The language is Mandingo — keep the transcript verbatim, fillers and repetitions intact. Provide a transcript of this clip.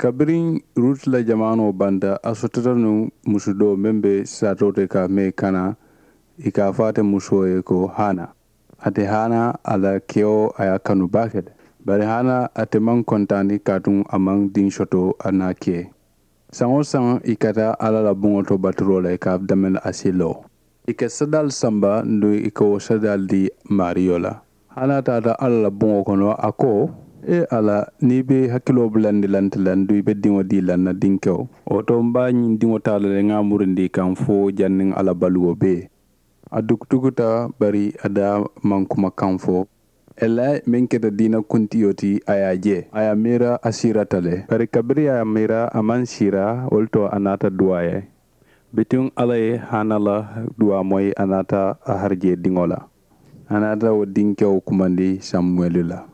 Kabiriŋ ruutu la jamaanoo banta, a sotota nuŋ musu doo meŋ be saatoo te ka mee kana, ì ka a fo ate musoo ye ko hana. Ate hana a la kewo a ye a kanu baake le. Bari hana ate maŋ kontaani kaatuŋ a maŋ diŋ soto a naa ke. Saŋ-wo-saŋ ì ka taa alla la buŋo to baturoo la ì ka a damani a si loo. Ì ka sadaalu samba nduŋ ì ka wo sadaalu dii maariyo la. Hana taata alla la buŋo kono a ko, ee alla, niŋ i be i hakiloo bulandi la nte la nduŋ i be diŋo dii la n na dinkewo. Wo to m be a ñiŋ diŋo taa la le ŋa a murindi i kaŋ fo janniŋ alla baluwo bee. A dukutukuta, bari a daa maŋ kuma kaŋ fo. Elayi meŋ keta diina kuntiyo ti a ye a je, a ye a miira a siirata le. Bari kabiriŋ a ye a miira a maŋ siira, wo le to a naata duwaa ye. Bituŋ alla ye hana la duwaa moyi a naata a harijee diŋo la. A naata wo dinkewo kumandi samuwelu la.